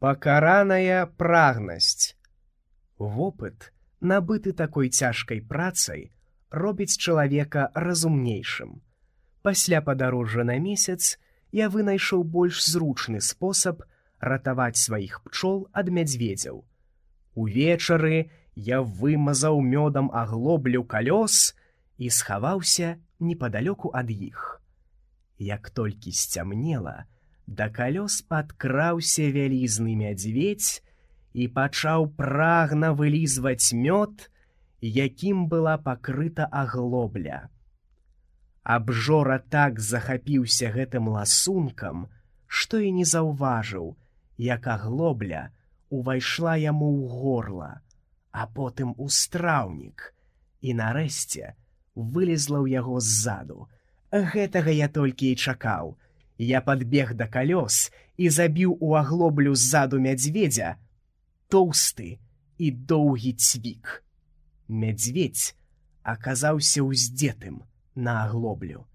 Пакараная прагнасць. Вопыт, набыты такой цяжкай працай, робіць чалавека разумнейшым. Пасля падарожжа на месяц я вынайшоў больш зручны спосаб ратаваць сваіх пчол ад мядзведзяў. Увечары я вымазаў мёдам аглоблю калёс і схаваўся непадалёку ад іх. Як толькі сцямнела, да калёс падкраўся вялізны мядзведзь і пачаў прагна вылізваць мёд, якім была пакрыта аглобля. Абжора так захапіўся гэтым ласункам, што і не заўважыў, як аглобля увайшла яму ў горла, а потым у страўнік і нарэшце вылезла ў яго ззаду. Гэтага я толькі і чакаў. Я падбег да калёс і забіў у аглоблю ззаду мядзведзя тоўсты і доўгі цвік. Мядзведзь аказаўся ўздзетым на аглоблю.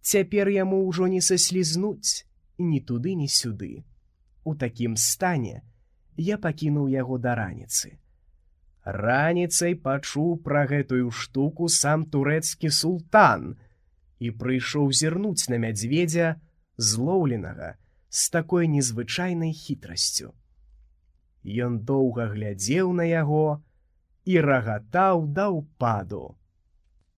Цяпер яму ўжо не саслізнуць ні туды, ні сюды. У такім стане я пакінуў яго да раніцы. Раніцай пачуў пра гэтую штуку сам турэцкі султан і прыйшоў зірнуць на мядзведзя, злоўленага з такой незвычайнай хітрасцю. Ён доўга глядзеў на яго і рагатаў да ўпаду.